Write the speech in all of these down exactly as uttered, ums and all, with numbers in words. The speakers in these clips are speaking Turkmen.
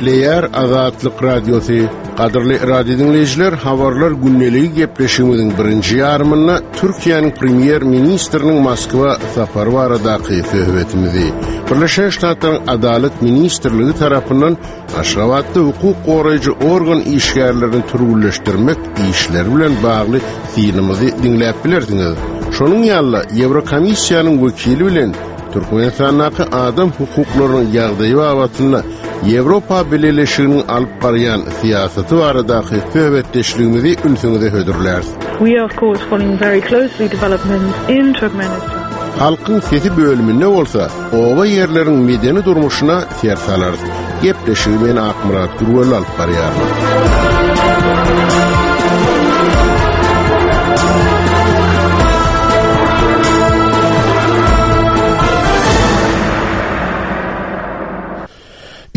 Gepleýär Azatlyk Radiosy. Gadyrly radio diňleýjiler, habarlar gündeligi gepleşigimiziň birinji ýarymynda Türkiýäniň premýer ministriniň Moskwa sapary baradaky söhbetimizi Birleşen Ştatlaryň Adalat ministrligi tarapyndan Aşgabatda hukuk goraýjy organ işgärlerini türgünleşdirmek işleri bilen bagly synymyzy diňläp bilersiňiz. Şonuň ýaly Ýewrokomissiýanyň wekili bilen Türkmenistandaky adam hukuklarynyň ýagdaýy babatynda Ýewropa Bileleşiginiň alyp barýan syýasaty baradaky söhbetdeşligimizi ünsüňize hödürläris. We are of course following very closely developments in Turkmenistan. Halkyň sesi bölüminde bolsa oba ýerleriň medeni durmuşyna ser salarys. Gepleşigi men Akmyrat Gürwel alyp barýaryn.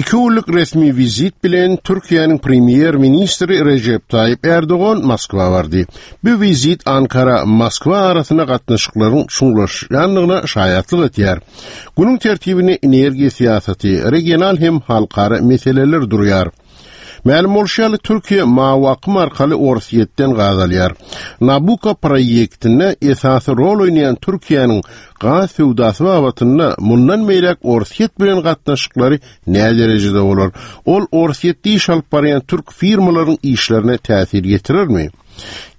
Iki günlük resmi wizit bilen Türkiýäniň premýer ministri Rejep Taýyp Erdogan Moskwa bardy. Bu wizit Ankara Moskwa arasynda gatnaşyklaryň çuňlaşýandygyna şaýatlyk etýär. Günüň tertibine energiýa syýasaty, regional hem halkara meseleler durýar. Mälim bolşy ýaly Türkiýe mawy akym arkaly Orsýetden gaz alýar. Nabucco proýektinde esasy rol oýnaýan Türkiýäniň gaz söwdasy babatynda mundan beýläk Orsýet bilen gatnaşyklary nä derejede bolar? Ol Orsýetde iş alyp barýan türk firmalaryň işlerine täsir ýetirermi?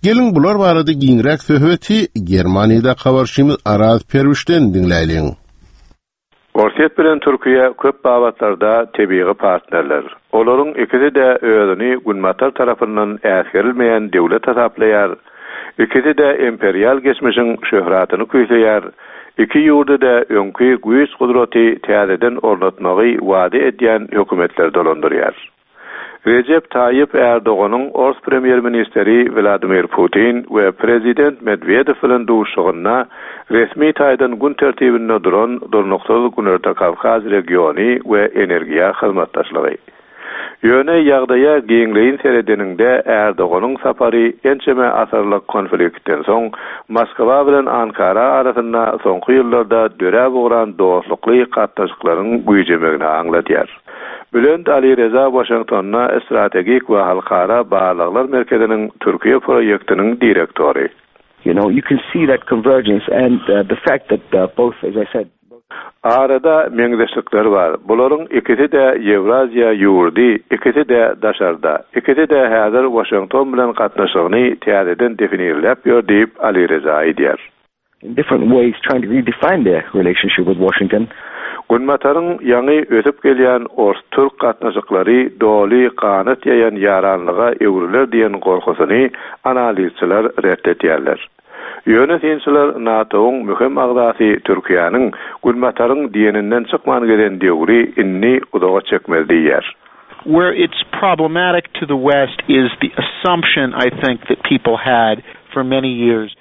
Geliň bular barada giňräk söhbeti Germaniýada habarçymyz Araz Perwişden diňläýliň. Orsýet bilen Türkiýe köp babatlarda tebigy partnerler. Olaryň ikisi-de özüni Günbatar tarapyndan äsgerilmeýän döwlet hasaplaýar. Ikisi-de imperial geçmişiň şöhratyny küýseýär. Iki ýurdy-da öňki güýç gudraty täzeden ornatmagy wada edýän hökümetler dolandyrýar. Rejep Taýyp Erdoganyň Ors premýer ministri Wladimir Putin we prezident Medwedew bilen duşuşygynda resmi taýdan gün tertibinde duran durnuksyz Günorta Kawkaz regiony we energiýa hyzmatdaşlygy. Ýöne ýagdaýa giňleýin seredeniňde Erdoganyň sapary ençeme asyrlyk konfliktden soň Moskwa bilen Ankara arasynda soňky ýyllarda döräp ugran dostlukly gatnaşyklaryň güýjemegini aňladýar. Bülent Ali Reza Washingtonda strategik we halkara barlaglar merkeziniň Türkiýe proýektiniň direktory. You know, you can see that convergence and uh, the fact that uh, both, as I said, Arada meňzeşlikler bar. Bularyň ikisi-de Ýewraziýa ýurdy, ikisi-de daşarda, ikisi-de häzir Washington bilen gatnaşygyny täzeden definirläp ýör diýip Ali Reza aýdýar. in different ways trying to redefine their relationship with Washington. Günbataryň ýaňy ösüp gelýän Ors-Türk gatnaşyklary doly ganat ýaýan ýaranlyga öwrüler diýen gorkusyny analizçiler ret etýärler. Ýöne synçylar NATO-nyň möhüm agzasy Türkiýäniň Günbataryň diýeninden çykman gelen döwri indi uzaga çekmez diýýär. Where it's problematic to the West is the assumption, I think, that people had for many years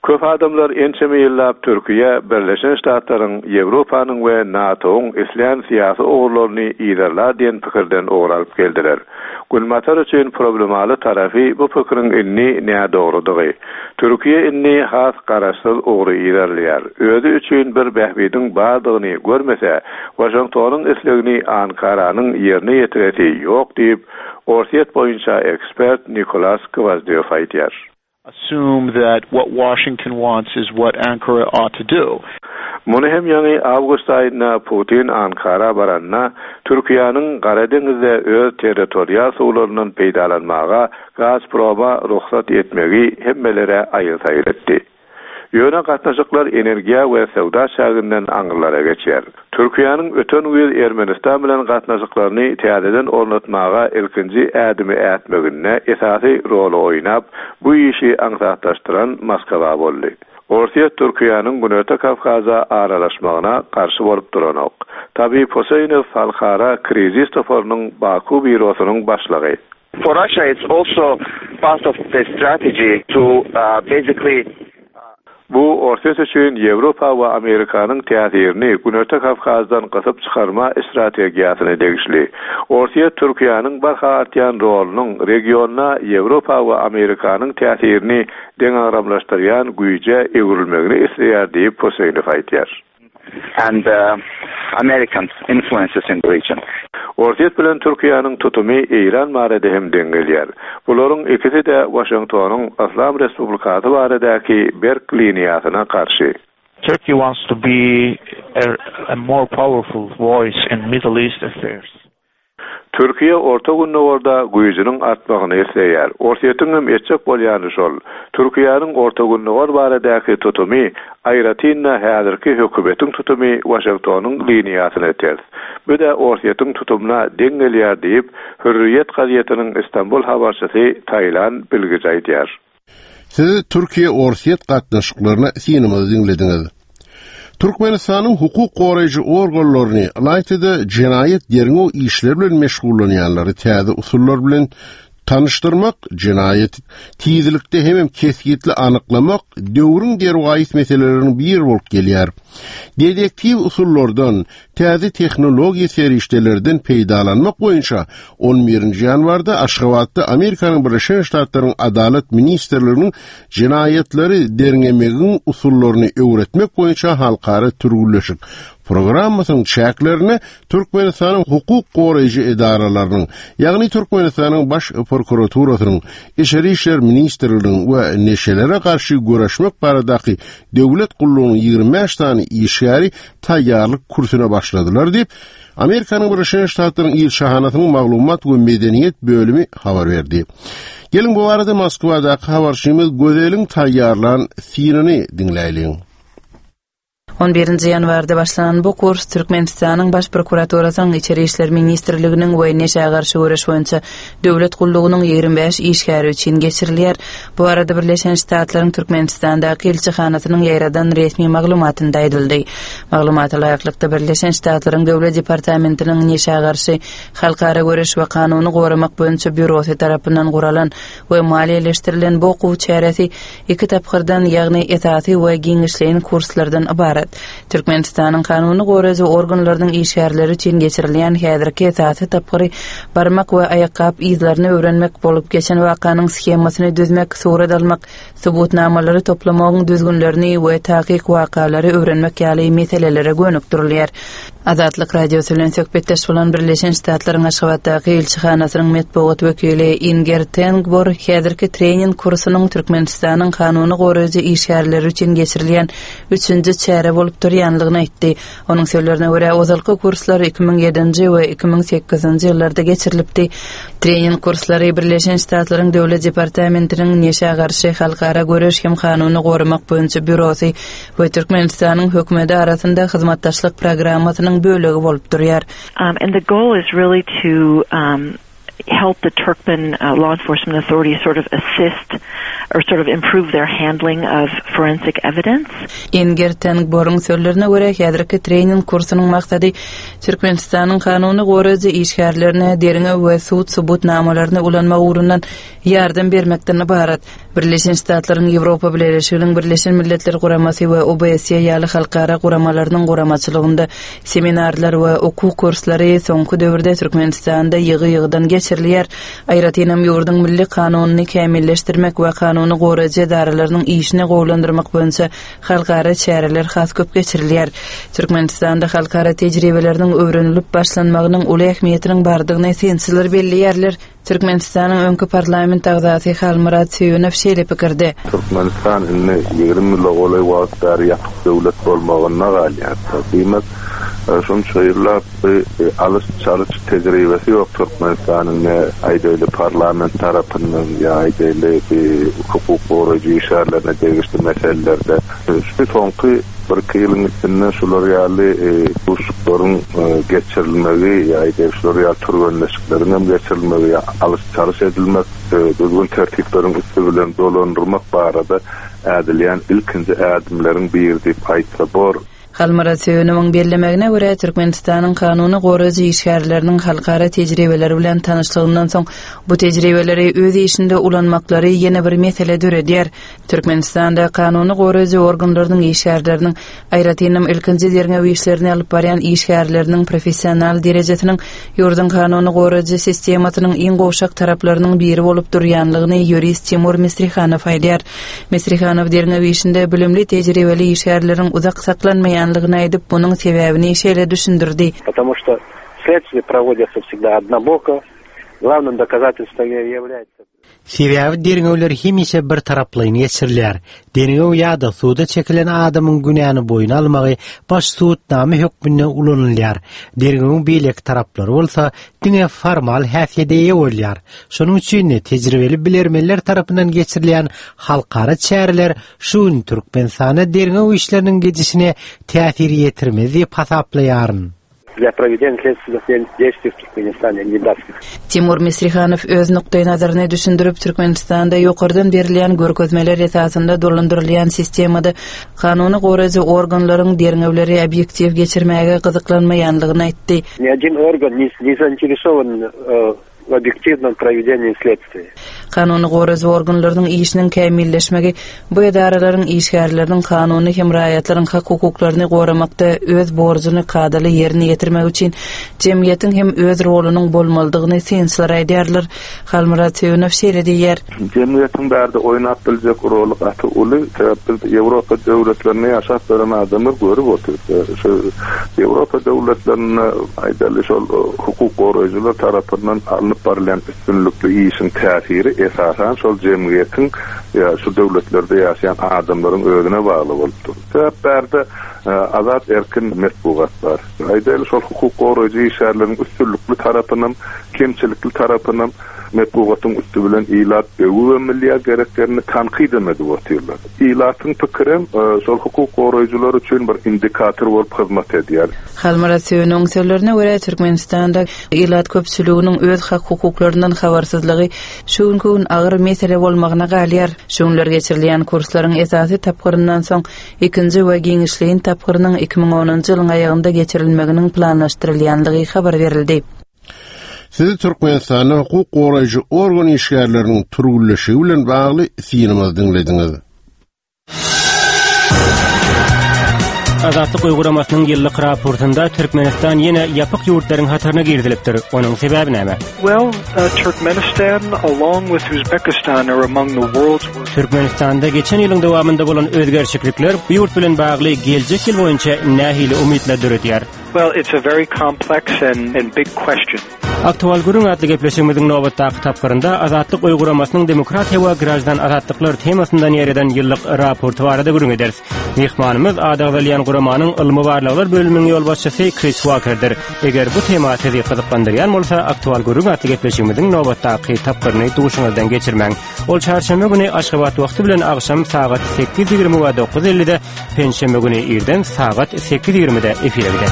Köp adamlar ençeme ýyllap Türkiýe, Birleşen Ştatlaryň, Ýewropanyň we NATO-nyň islän syýasy ugurlaryny yzarlar diýen pikirden ugur alyp geldiler. Günbatar üçin problemaly tarapy bu pikiriň indi nädogrudygy. Türkiýe indi has garaşsyz ugry yzarlaýar. Özi üçin bir bähbidiň bardygyny görmese, Washingtonyň islegini Ankaranyň ýerine ýetiresi ýok diýip, Orsýet boýunça ekspert Nikolas Gwozdýow aýdýar. assume that what Washington wants is what Ankara ought to do. Muny hem ýaňy awgust aýynda Putin Ankara baranda Türkiýäniň Gara deňizde öz territorial suwlaryndan peýdalanmaga Gazproma rugsat etmegi hemmelere aýyl-saýyl etdi. Ýöne gatnaşyklar energiýa we söwda çäginden aňyrlara geçýär. Türkiýäniň öten güýz Ermenistan bilen gatnaşyklaryny täzeden ornatmaga ilkinji ädimi ätmeginde esasy roly oýnap, bu işi aňsatlaşdyran Moskwa boldy. Orsýet Türkiýäniň Günorta Kawkaza aralaşmagyna garşy bolup duranok. Tabib Huseýnow halkara krizis toparynyň Baku býurosynyň başlygy. For Russia, it's also part of the strategy to uh, basically Bu Orsýet üçin Ýewropa we Amerikanyň täsirini Günorta Kawkazdan gysyp çykarma strategiýasyna degişli. Orsýet Türkiýäniň barha artýan rolunyň regionda Ýewropa we Amerikanyň täsirini deňagramlaşdyrýan güýje öwrülmegini isleýär diýip Huseýnow aýdýar. and uh, American influences in the region. Orsýet bilen Türkiýäniň tutumy Eýran barada hem deň gelýär. Bularyň ikisi-de Waşingtonyň Yslam Respublikasy baradaky berk liniýasyna garşy. Turkey wants to be a, a more powerful voice in Middle East affairs. Türkiýe Orta Gündogarda güýjüniň artmagyny isleýär. Orsýetiň hem etjek bolýany şol. Türkiýäniň Orta Gündogar baradaky tutumy aýratyn-da häzirki hökümetiň tutumy Waşingtonyň liniýasyna ters. Bu-da Orsýetiň tutumyna deň gelýär diýip, Hürriýet gazetiniň Istanbul habarçysy Taylan Bilgiç aýdýar. Siz Türkiýe-Orsýet gatnaşyklaryna synymyzy diňlediňiz. Türkmenistanyň hukuk goraýjy organlaryny ylaýta-da jenaýat derňew işleri bilen meşgullanýanlary täze usullar bilen tanyşdyrmak, jenaýat tizlikde hemem kesgitli anyklamak döwrüň derwaýys meseleleriniň biri bolup gelýär. Dedektiw usullardan, täze tehnologiýa serişdelerden peýdalanmak boýunça on birinji ýanwarda Aşgabatda Amerikanyň Birleşen Ştatlarynyň Adalat Ministrliginiň jenaýatlary derňemegiň usullaryny öwretmek boýunça halkara türgünleşik programmasynyň çäklerine Türkmenistanyň hukuk goraýjy edaralarynyň, ýagny Türkmenistanyň Baş prokuraturasynyň, Içeri işler ministrliginiň we neşelere garşy göreşmek baradaky döwlet gullugynyň ýigrimi bäş sany işgäri taýýarlyk kursuna başladylar diýip, Amerikanyň Birleşen Ştatlarynyň ilçihanasynyň maglumat we medeniýet bölümi habar berdi. Geliň bu barada Moskwadaky habarçymyz Gözeliň taýýarlan synyny diňläýliň. On birinji ýanwarda başlanan bu kurs Türkmenistanyň Baş prokuraturasynyň Içeri işler ministrliginiň we neşä garşy göreş boýunça döwlet gullugynyň ýigrimi bäş işgäri üçin geçirilýär. Bu arada Birleşen Ştatlaryň Türkmenistandaky ilçihanasynyň ýaýradan resmi maglumatynda aýdyldy. Maglumata laýyklykda Birleşen Ştatlaryň Döwlet departamentiniň neşä garşy halkara göreş we kanuny goramak boýunça býurosy tarapyndan guralan we maliýeleşdirilen bu okuw çäresi iki tapgyrdan, ýagny esasy we giňişleýin kurslardan ybarat. Türkmenistanyň kanuny goraýjy organlarynyň işgärleri üçin geçirilýän häzirki esasy tapgyry barmak we aýakgap yzlaryny öwrenmek bolup geçen wakanyň shemasyny düzmek, surat almak, subutnamalary toplamagyň düzgünlerini we takyk wakalary öwrenmek ýaly meselelere gönükdirilýär. Azatlyk Radiosy bilen söhbetdeş bolan Birleşen Ştatlaryň Aşgabatdaky ilçihanasynyň metbugat wekili Inger Tengbor häzirki trening kursunyň Türkmenistanyň kanuny goraýjy işgärleri üçin geçirilýän üçünji çäre bolup durýanlygyny aýtdy. Onuň sözlerine görä, ozalky kurslar iki müň ýedinji we iki müň sekizinji ýyllarda geçirilipdi. Trening kurslary Birleşen Ştatlaryň Döwlet departamentiniň neşä garşy halkara göreş hem kanuny goramak boýunça býurosy we Türkmenistanyň hökümeti arasynda hyzmatdaşlyk programmasynyň bölegi bolup durýar. Um, and the goal is really to, um, help the Turkmen, uh, law enforcement authorities sort of assist or sort of improve their handling of forensic evidence. Inger Tengboryň sözlerine görä, häzirki trening kursunyň maksady Türkmenistanyň kanuny goraýjy işgärlerine derňew we sud subutnamalaryny ulanmak ugrundan ýardam bermekden ybarat. Birleşen Ştatlaryň Ýewropa Bileleşiginiň Birleşen Milletler Guramasy we O B S E ýaly halkara guramalarynyň guramaçylygynda seminarlar we okuw kurslary soňky döwürde Türkmenistanda ýygy-ýygydan geçirilýär. Aýratynam ýurduň milli kanunyny kämilleşdirmek we kanuny goraýjy edaralarynyň işini gowulandyrmak boýunça halkara çäreler has köp geçirilýär. Türkmenistanda halkara tejribeleriniň öwrenilip başlanmagynyň uly ähmiýetiniň bardygyny synçylar belleýärler. Türkmenistanyň öňki parlament agzasy Halmyrat Söýünow şeýle pikirde. Türkmenistan indi ýigrimi ýyla golaý wagt bäri ýapyk döwlet bolmagynda galýar. Diýmek, şunça ýyllap bir alyş-çalyş tejribesi ýok Türkmenistanyň ne aýdaýly parlament tarapyndan ýa aýdaýly bir hukuk goraýjy işgärlerine degişli meselelerde. Şu soňky bir iki ýylyň içinde şular ýaly, e, duşuşyklaryň, e, geçirilmegi, ýa aýdaýly şular ýaly türgenleşikleriň hem geçirilmegi, ýa alyş-çalyş edilmek, e, düzgün tertipleriň üsti bilen dolandyrmak barada ädilýän ilkinji ädimleriň biri diýip aýtsa bor. Halmyrat Söýünowyň bellemegine görä, Türkmenistanyň kanuny goraýjy işgärleriniň halkara tejribeleri bilen tanyşlygyndan soň bu tejribeleri öz işinde ulanmaklary ýene bir mesele döredýär. Türkmenistanda kanuny goraýjy organlarynyň işgärleriniň, aýratynam ilkinji derňew işlerini alyp barýan işgärleriniň professional derejesiniň ýurduň kanuny goraýjy sistemasynyň iň gowşak taraplarynyň biri bolup durýanlygyny ýurist Timur Misrihanow aýdýar. Misrihanow derňew işinde bilimli tejribeli işgärleriň uzak saklanmaýan gyzyklanmaýanlygyny aýdyp, munuň sebäbini şeýle düşündirdi. Потому что следствие проводится всегда однобоко. Главным доказательством является Sebäbi derňewler hemişe bir taraplaýyn geçirilýär. Derňew ýa-da suda çekilen adamyň günäni boýun almagy baş subutnama hökmünde ulanylýar. Derňewiň beýleki taraplary bolsa diňe formal häsiýete eýe bolýar. Şonuň üçin tejribeli bilermenler tarapyndan geçirilýän halkara çäreler şu gün Türkmenistana derňew işleriniň gidişine täsir ýetirmez diýip hasaplaýaryn. Для проведения следственных действий в Туркменистане не даст. Timur Misrihanow öz nukdaý nazaryny düşündirip, Türkmenistanda ýokardan berilýän görkezmeler esasynda dolandyrylýan sistemada kanuny goraýjy organlaryň derňewleri obýektiw geçirmäge gyzyklanmaýanlygyny aýtdy. Ни один орган не, не заинтересован э, в объективном проведении следствия. Kanuny goraýjy organlarynyň işiniň kämilleşmegi bu edaralaryň işgärleriniň kanuny hem raýatlaryň hak hukuklaryny goramakda öz borjuny kadaly ýerine ýetirmek üçin jemgyýetiň hem öz rolunyň bolmalydygyny synçylar aýdýarlar. Halmyrat Söýünow şeýle diýýär. Jemgyýetiň bärde oýnap biljek roly gaty uly. Sebäp biz Ýewropa döwletlerinde ýaşap beren adamlar görüp otyrys. Şu Ýewropa döwletlerinde aýdaly şol hukuk goraýjylar tarapyndan alnyp barylýan üstünlikli işiň täsiri esasan şol jemgyýetiň ýa şu döwletlerde ýaşaýan adamlaryň özüne bagly bolupdyr. Sebäp bärde azat erkin metbugat bar. Aýdaly şol hukuk goraýjy işleriniň üstünlikli tarapyndan, kemçilikli tarapyndan metbugatyň üstü bilen ilat öwüp milli gereklerini tankyt edip otyrlar. Ilatyň pikiri şol hukuk goraýjylar üçin bir indikator bolup hyzmat edýär. Halmyrat Söýünowyň sözlerine görä Türkmenistanda ilat köpçüliginiň öz hak hukuklaryndan habarsyzlygy şu günki gün agyr mesele bolmagyna galýar. Şu günler geçirilýän kurslaryň esasy tapgyryndan soň ikinji we giňişleýin tapgyrynyň iki müň onunjy ýylyň aýagynda geçirilmeginiň planlaşdyrylýanlygy habar berildi. Sizi Türkmenistanda hukuk goraýjy organ işgärleriniň türgünleşigi bilen bagly synymyzy diňlediňiz. Azatlyk uygulamasының ýyllyk raportunda Türkmenistan ýene ýapyk ýurtlaryň hataryna girizilipdir. Onuň sebäbi näme? Well, uh, Turkmenistan along with Uzbekistan are among the world's worst. Türkmenistanda geçen ýylyň dowamynda bolan özgerişlikler bu ýurt bilen bagly geljek ýyl boýunça nähili umytlar döredýär? Well, it's a very complex and, and big question. Aktual gürrüň atly gepleşigimiziň nobatdaky tapgyrynda Azatlyk uygulamasының demokratiýa we grajdan azatlyklar temasyndan ýereden ýyllyk raporty barada gürrüň ederis. Mehmanymyz adagzalýan guramanyň ylmy barlaglar bölüminiň ýolbaşçysy Chris Walkerdir. Eger bu tema sizi gyzyklandyrýan bolsa, Aktual gürrüň atly gepleşigimiziň nobatdaky tapgyryny duşuňyzdan geçirmäň. Ol çarşenbe güni Aşgabat wagty bilen agşam sagat sekiz ýigrimi we dokuz ellide, penşenbe güni irden sagat sekiz ýigrimide efire gider.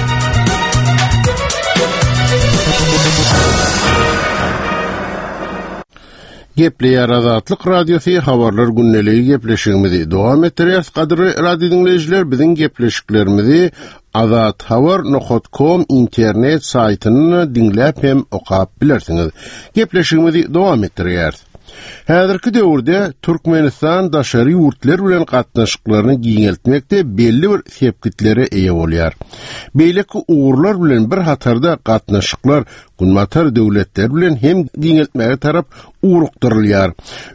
Gepleýär Azatlyk Radiosy habarlar gündeligi gepleşigimizi dowam etdirýär. Gadyrly radio diňleýjiler, biziň gepleşiklerimizi azathabar nokta com internet saýtynda diňläp hem okap bilersiňiz. Gepleşigimizi dowam etdirýär. Häzirki döwürde Türkmenistan daşary ýurtlar bilen gatnaşyklaryny giňeltmekde belli bir sepgitlere eýe bolýar. Beýleki ugurlar bilen bir hatarda gatnaşyklar Günbatar döwletler bilen hem giňeltmäge tarap ugrukdyrylýar.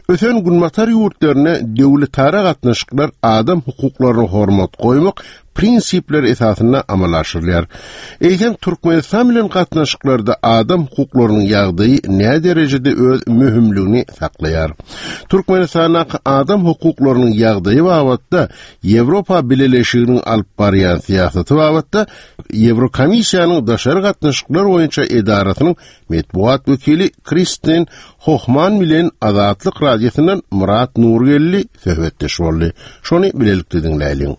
Ösen Günbatar ýurtlaryna döwletara gatnaşyklar adam hukuklaryna hormat goýmak prinsipler esasynda amala aşyrylýar. Eýsem Türkmenistan bilen gatnaşyklarda adam hukuklarynyň ýagdaýy näme derejede öz möhümligini saklaýar? Türkmenistandaky adam hukuklarynyň ýagdaýy babatda Ýewropa Bileleşiginiň alyp barýan syýasaty babatda Ýewrokomissiýanyň daşary gatnaşyklar boýunça edarasynyň metbugat wekili Kristin Hohman bilen Azatlyk Radiosyndan Murat Nurgelli söhbetdeş boldy. Şony bilelikde diňläýliň.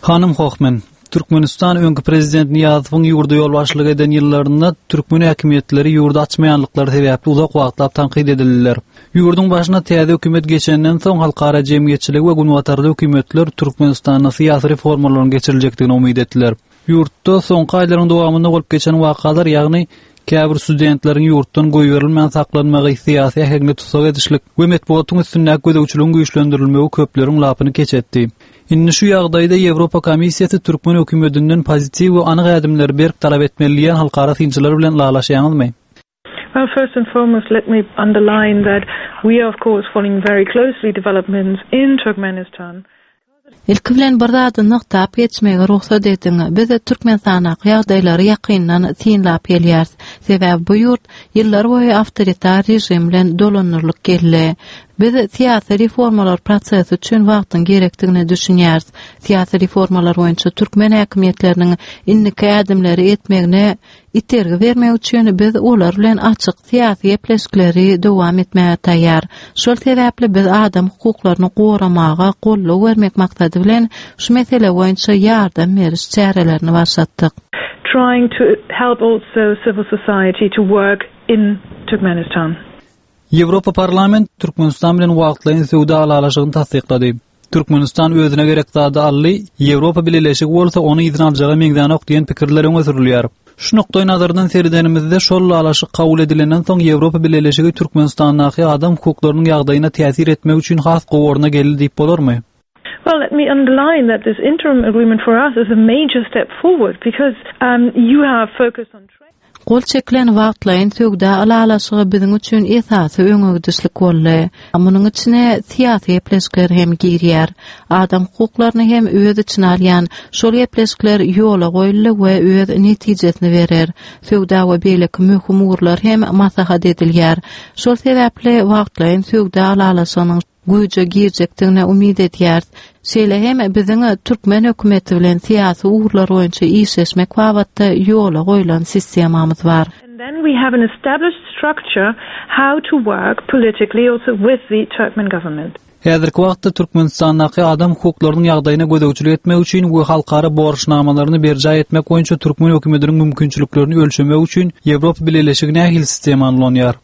Hanym Hohman, Türkmenistan öňki prezident Niýazowyň ýurda ýolbaşçylyk eden ýyllarynda türkmen häkimiýetleri ýurdy açmaýanlyklary sebäpli uzak wagtlap tankyt edildiler. Ýurduň başyna täze hökümet geçenden soň halkara jemgyýetçiligi we günbatarda hökümetler Türkmenistanda syýasy reformalaryň geçiriljekdigini umyt etdiler. Ýurtda soňky aýlaryň dowamynda bolup geçen wakalar, ýagny käbir studentleriň ýurtdan goýberilmän saklanmagy, syýasy äheňli tussag edişlik we metbugatyň üstündäki gözegçiligiň güýçlendirilmegi köpleriň lapyny keç etdi. Indi şu ýagdaýda Ýewropa Komissiýasy türkmen hökümetinden pozitiw we anyk ädimleri berk talap etmeli diýen halkara synçylar bilen lalaşýaňyzmy? Well, first and foremost, let me underline that we are, of course, following very closely developments in Turkmenistan. Ilki bilen bir zady nygtap geçmegi rugsat ediň. Biz Türkmenistandaky ýagdaýlary ýakyndan synlap gelýäris. Sebäbi bu ýurt ýyllar boýy awtoritar režim bilen dolandyrylyp geldi. Biz syýasy reformalar prosesi üçin wagtyň gerekdigine düşünýäris. Syýasy reformalar boýunça türkmen häkimiýetleriniň indiki ädimleri etmegine itergi bermek üçin biz olar bilen açyk syýasy gepleşikleri dowam etmäge taýýar. Şol sebäpli biz adam hukuklaryny goramaga goldaw bermek maksady bilen şu mesele boýunça ýardam beriş çärelerini başlatdyk. Trying to help also civil society to work in Turkmenistan. Ýewropa Parlament Türkmenistan bilen wagtlaýyn söwda ylalaşygyny tassyklady. Türkmenistan özüne gerek zady aldy, Ýewropa Bileleşigi bolsa ony yzyna aljaga meňzänok diýen pikirler öňe sürülýär. Şu nukdaý nazardan seredenimizde şol ylalaşyk kabul edilenden soň Ýewropa Bileleşigi Türkmenistandaky adam hukuklarynyň ýagdaýyna täsir etmek üçin has gowy orna geldi diýip bolarmy? Well, let me underline that this interim agreement for us is a major step forward because um, you have focused on trade. Gol çekilen wagtlaýyn söwda ylalaşygy biziň üçin esasy öňegidişlik boldy. Munuň içine syýasy gepleşikler hem girýär. Adam hukuklaryny hem öz içine alýan şol gepleşikler ýola goýuldy we öz netijesini berer. Söwda we beýleki möhüm ugurlar hem maslahat edilýär. Şol sebäpli wagtlaýyn söwda ylalaşygynyň güýje girjekdigine umyt edýäris. Şeýle hem biziň türkmen hökümeti bilen syýasy ugurlar boýunça işleşmek babatda ýola goýlan sistemamyz bar. And then we have an established structure how to work politically also with the Turkmen government. Häzirki wagtda Türkmenistandaky adam hukuklarynyň ýagdaýyna gözegçilik etmek üçin we halkara borçnamalaryny berjaý etmek boýunça türkmen hökümetiniň mümkinçiliklerini ölçemek üçin Ýewropa Bileleşigi nähili sistemany ulanýar?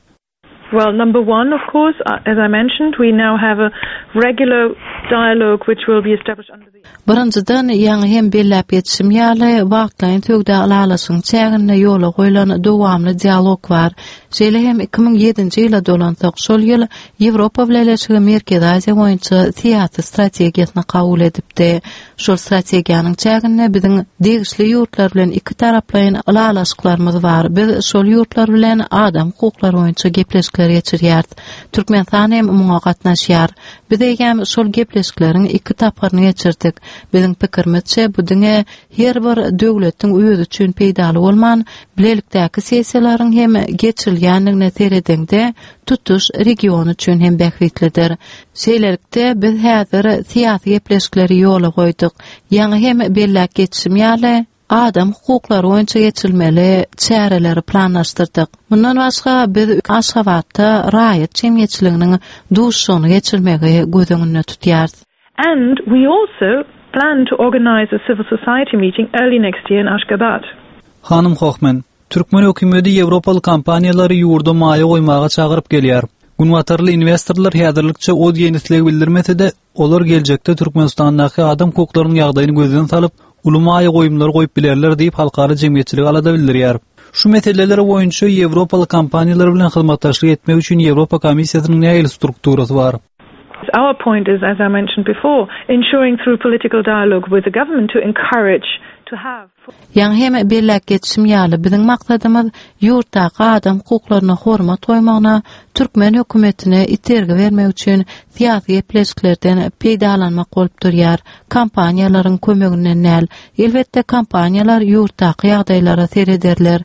Well, number one, of course, uh, as I mentioned, we now have a regular dialogue which will be established under the Birinjiden ýaňy hem belläp geçişim ýaly wagtlaýyn söwda ylalaşygyň çäginde ýola goýlan dowamly dialog bar. Şeýle hem iki müň ýedinji ýyla dolansak, şol ýyl Ýewropa Bileleşigi Merkezi Aziýa boýunça syýasy strategiýasyny kabul edipdi. Şol strategiýanyň çäginde biziň degişli ýurtlar bilen iki taraplaýyn ylalaşyklarymyz bar. Biz şol ýurtlar bilen adam hukuklary boýunça gepleşikler geçirýäris. Türkmenistan hem muňa gatnaşýar. Biz eýýäm şol gepleşikleriň iki tapgyryny geçirdik. Biziň pikirimizçe bu diňe her bir döwletiň özi üçin peýdaly bolman, bilelikdäki sessiýalaryň hem geçirilýändigine seredeňde tutuş region üçin hem bähbitlidir. Şeýlelikde biz häzir syýasy gepleşikleri ýola goýduk. Ýaňy hem belläp geçişim ýaly, adam hukuklary boýunça geçirilmeli çäreleri planlaşdyrdyk. Mundan başga biz Aşgabatda raýat jemgyýetçiliginiň duşuşygyny geçirmegi göz öňünde tutýarys. And we also plan to organize a civil society meeting early next year in Ashgabat. Hanym Hohmann, Türkmen hökümeti Ýewropaly kompaniýalary ýurda maýa goýmaga çagyryp gelýär. Günbatarly investorlar häzirlikçe o diýen isleg bildirmese-de, olar geljekde Türkmenistandaky adam hukuklarynyň ýagdaýyny gözden salyp, uly maýa goýumlary goýup bilerler diýip halkara jemgyýetçiligi alada bildirýär. Şu meseleler boýunça Ýewropaly kompaniýalar bilen hyzmatdaşlyk etmek üçin Ýewropa Komissiýasynyň nähili strukturasy bar? Our point is, as I mentioned before, ensuring through political dialogue with the government to encourage to have Ýaňy hem belläp geçişim ýaly, biziň maksadymyz ýurtdaky adam hukuklaryna hormat goýmagyna, türkmen hökümetine itergi bermek üçin syýasy gepleşiklerden peýdalanmak bolup durýar. Kompaniýalaryň kömeginden däl. Elbetde kompaniýalar ýurtdaky ýagdaýlara serederler.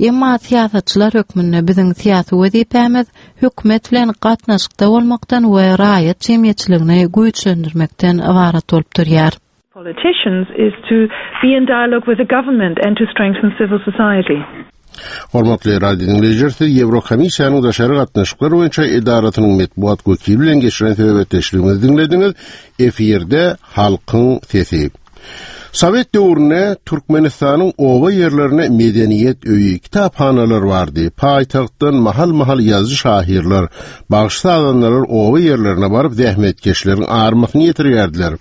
Emma syýasatçylar hökmünde biziň syýasy wezipämiz hökümet bilen gatnaşykda bolmakdan we raýat jemgyýetçiligini güýçlendirmekden ybarat bolup durýar. Politicians is to be in dialogue with the government and to strengthen civil society. Hormatly radio dinleýjiler, siz Ýewrokomissiýanyň daşary gatnaşyklar boýunça edarasynyň metbugat wekili bilen geçiren söhbetdeşligimizi diňlediňiz. Efirde halkyň sesi. Sowet döwründe Türkmenistanyň oba ýerlerine medeniýet öýi, kitaphanalar bardy. Paýtagtdan mahal-mahal ýazyjy şahyrlar, bagşy sazandalar oba ýerlerine baryp zähmetkeşleriň armasyny ýetirýärdiler.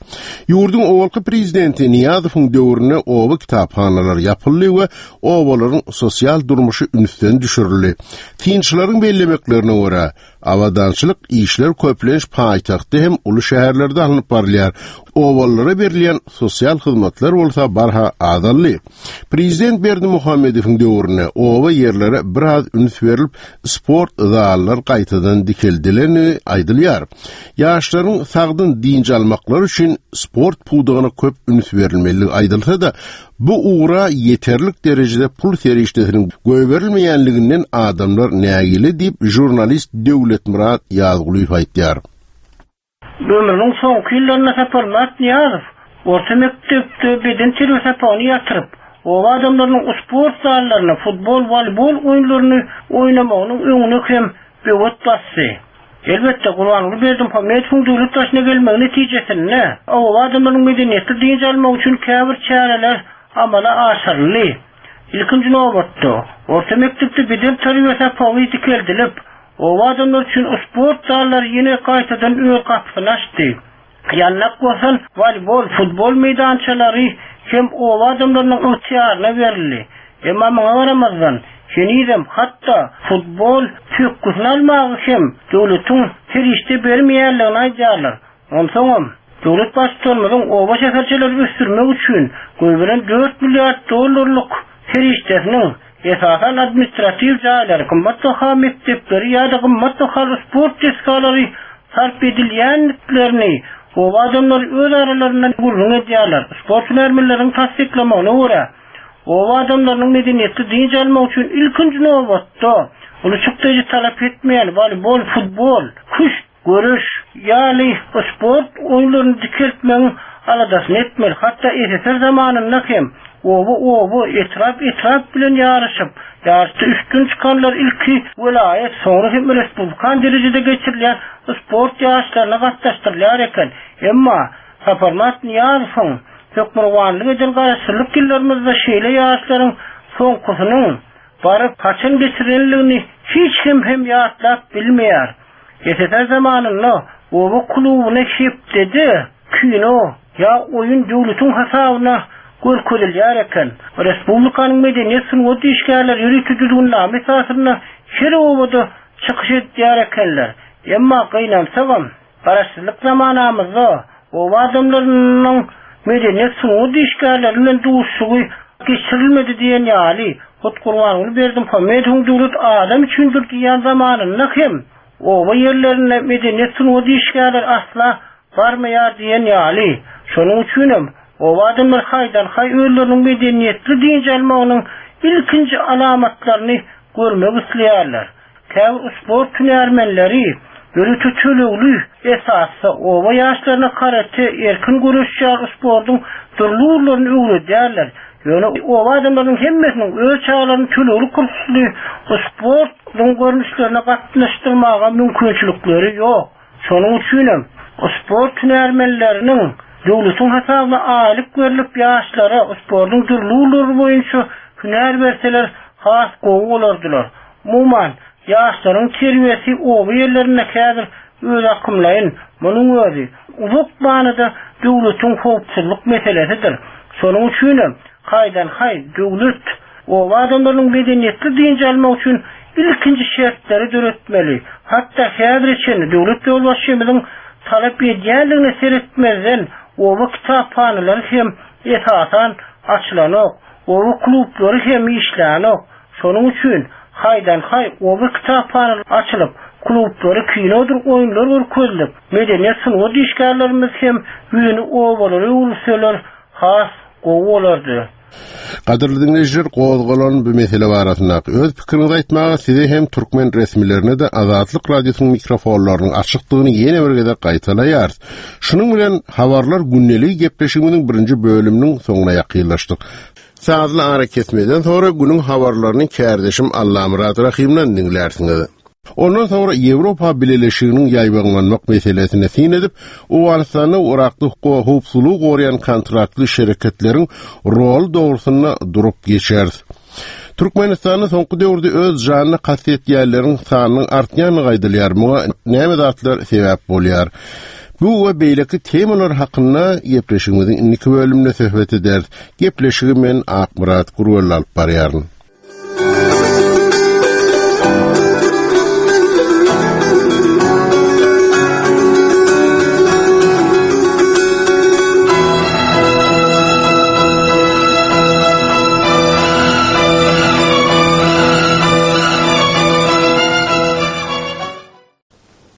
Ýurduň owalky prezidenti Niýazowyň döwründe oba kitaphanalar ýapyldy we obalaryň sosial durmuşy ünsden düşürildi. Synçylaryň bellemeklerine görä, Abadançylyk işler köplenç paýtagtda hem uly şäherlerde alnyp barylýar. Obalara berilýän sosial hyzmatlar bolsa barha azaldy. Prezident Berdimuhamedowyň döwründe oba ýerlere biraz üns berilip, sport zallar gaýtadan dikeldileni aýdylýar. Ýaşlaryň sagdyn dynç almaklary üçin sport pudagyna köp üns berilmeli aýdylsa-da, bu ugra ýeterlik derejede pul serişdesiniň goýberilmeýänliginden adamlar nägile diýip žurnalist Döwletmyrat Ýazgulyýew aýtýar. Ömrüniň soňky ýyllarynda Saparmyrat Nyýazow orta mekdepde beden terbiýe sapagyny ýatyryp, oba adamlarynyň sport zallaryna futbol, voleybol oýunlaryny oýnamagynyň öňüne hem böwet basdy. Elbetde Gurbanguly Berdimuhamedowyň döwlet başyna gelmegi netijesinde oba adamlarynyň medeniýetli dynç almak üçin käbir çäreler amala aşyryldy. Ilkinji nobatda orta mekdepde beden terbiýe sapagy dikeldilip, oba adamlar üçin sport zallary ýene gaýtadan öz gapysyny açdy. Ýannak bolsan voleybol, futbol meýdançalary hem oba adamlarynyň ygtyýaryna berildi. Emma muňa garamazdan henizem hatda futbol pökgüsini almagy hem döwletiň serişde bermeýänligini aýdýarlar. Onsoňam döwlet baştutanymyzyň oba şäherçeleri ösdürmek üçin goýberen dört milliard dollarlyk serişdesiniň esasan administratiw jaýlary, gymmat baha mekdepleri ýa-da gymmat bahaly sport desgalary sarp edilýändiklerini oba adamlary öz aralaryndan gürrüň edýärler. Sport hünärmenleriniň tassyklamagyna görä, oba adamlarynyň medeniýetli dynç almak üçin ilkinji nobatda uly çykdajy talap etmeýän voleybol, futbol, küşt, görüş ýaly sport oýunlaryny dikeltmegiň aladasyny etmeli. Hatda S S S R zamanynda hem oba oba, etrap etrap bilen ýaryşyp, ýaryşda üstün çykanlar ilki welaýat, soňra hem respublikan derejede geçirilýän sport ýaryşlaryna gatnaşdyrylýar eken. Emma Saparmyrat Nyýazowyň hökmürowanlyk eden garaşsyzlyk ýyllarymyzda şeýle ýaryşlaryň soňkusynyň baryp haçan geçirilendigini hiç kim hem ýatlap bilmeýär. S S S R zamanynda oba klubyna hepdede kino ýa oýun döwletiň hasabyna görkezilýär eken. Respublikanyň medeniýet sungat işgärleri ýörite düzgünnama esasynda her obada çykyş edýär ekenler. Emma gynansagam garaşsyzlyk zamanamyzda oba adamlarynyň medeniýet sungat işgärleri bilen duşuşygy geçirilmedi diýen ýaly, hut Gurbanguly Berdimuhamedowyň döwlet adam üçindir diýen zamanynda hem oba ýerlerinde medeniýet sungat işgärleri asla barmaýar diýen ýaly. Şonuň üçinem oba adamlar haýdan haý özleriniň medeniýetli dynç almagynyň ilkinji alamatlaryny görmek isleýärler. Käbir sport hünärmenleri ýörite tölegli esasda oba ýaşlaryna karate, erkin göreş ýaly sportuň dürli ugurlaryny öwredýärler. Ýöne oba adamlarynyň hemmesiniň öz çagalaryny tölegli kursly sportuň görnüşlerine gatnaşdyrmaga mümkinçilikleri ýok. Şonuň üçinem sport hünärmenleriniň döwletiň hasabyna aýlyk berlip ýaşlara sportuň dürli ugurlary boýunça hünär berseler has gowy bolardylar. Umuman, ýaşlaryň terbiýesi oba ýerlerinde häzir öz akymlaýyn, munuň özi uzak manyda döwletiň howpsuzlyk meselesidir. Şonuň üçinem haýdan haý döwlet oba adamlarynyň medeniýetli dynç almak üçin ilkinji şertleri döretmeli. Hatda häzir çenli döwlet ýolbaşçymyzyň talap edýänligine seretmezden oba kitaphanalary hem esasan açylanok, oba klublary hem işlänok. Şonuň üçin haýdan haý oba kitaphanalary açylyp, klublary kinodyr oýunlar görkezilip, medeniýet sungat işgärlerimiz hem ýüzüni obalara öwürseler has gowy bolardy. Gadyrly dinleýjiler, gozgalan bu mesele barasyndaky öz pikiriňizi aýtmaga size hem türkmen resmilerine de Azatlyk Radiosynyň mikrofonlarynyň açykdygyny ýene bir gezek gaýtalaýarys. Şunuň bilen habarlar gündelik gepleşigimiziň birinji bölüminiň soňuna ýakynlaşdyk. Sazly ara kesmeden sonra günüň habarlaryny kärdeşim Allamyrat Rahimden diňlärsiňiz. Ondan sonra Ýewropa Bileleşiginiň ýaýbaňlanmak meselesine syn edip, Owganystanda Irakda howpsuzlygy goraýan kontraktly şereketleriň rol dogrusynda durup geçeris. Türkmenistanda soňky döwürde öz janyna kast etýänleriň sanynyň artýandygy aýdylýar. Muňa näme zatlar sebäp bolýar? Bu we beýleki temalar hakynda gepleşigimiziň indiki bölüminde söhbet ederis. Gepleşigi men Akmyrat Gurwel alyp barýaryn.